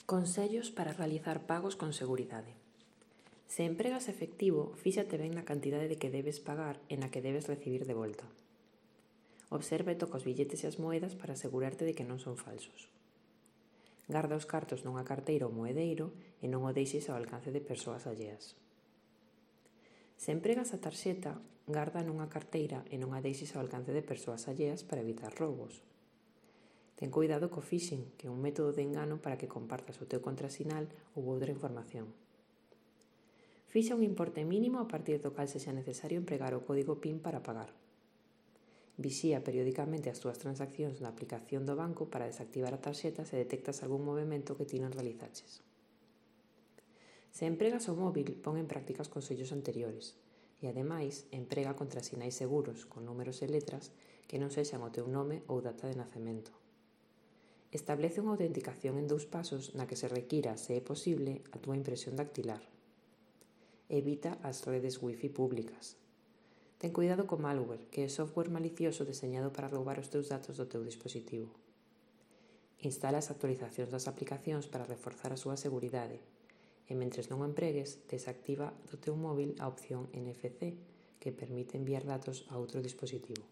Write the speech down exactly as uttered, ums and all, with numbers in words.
Consellos para realizar pagos con seguridade. Se empregas efectivo, fíxate ben na cantidade de que debes pagar e na que debes recibir de volta. Observa e toca os billetes e as moedas para asegurarte de que non son falsos. Garda os cartos nunha carteira ou moedeiro e non o deixes ao alcance de persoas alleas. Se empregas a tarxeta, garda nunha carteira e non a deixes ao alcance de persoas alleas para evitar roubos. Ten cuidado co phishing, que é un método de engano para que compartas o teu contrasinal ou outra información. Fixa un importe mínimo a partir do cal sexa necesario empregar o código PIN para pagar. Vixía periódicamente as túas transaccións na aplicación do banco para desactivar a tarxeta se detectas algún movimento que ti non realizaches. Se empregas o móvil, pon en práctica os consellos anteriores e, ademais, emprega contrasinais seguros con números e letras que non sexan o teu nome ou data de nacemento. Establece unha autenticación en dous pasos na que se requira, se é posible, a túa impresión dactilar. Evita as redes wifi públicas. Ten cuidado co malware, que é software malicioso deseñado para roubar os teus datos do teu dispositivo. Instala as actualizacións das aplicacións para reforzar a súa seguridade e, mentres non o empregues, desactiva do teu móvil a opción N F C, que permite enviar datos a outro dispositivo.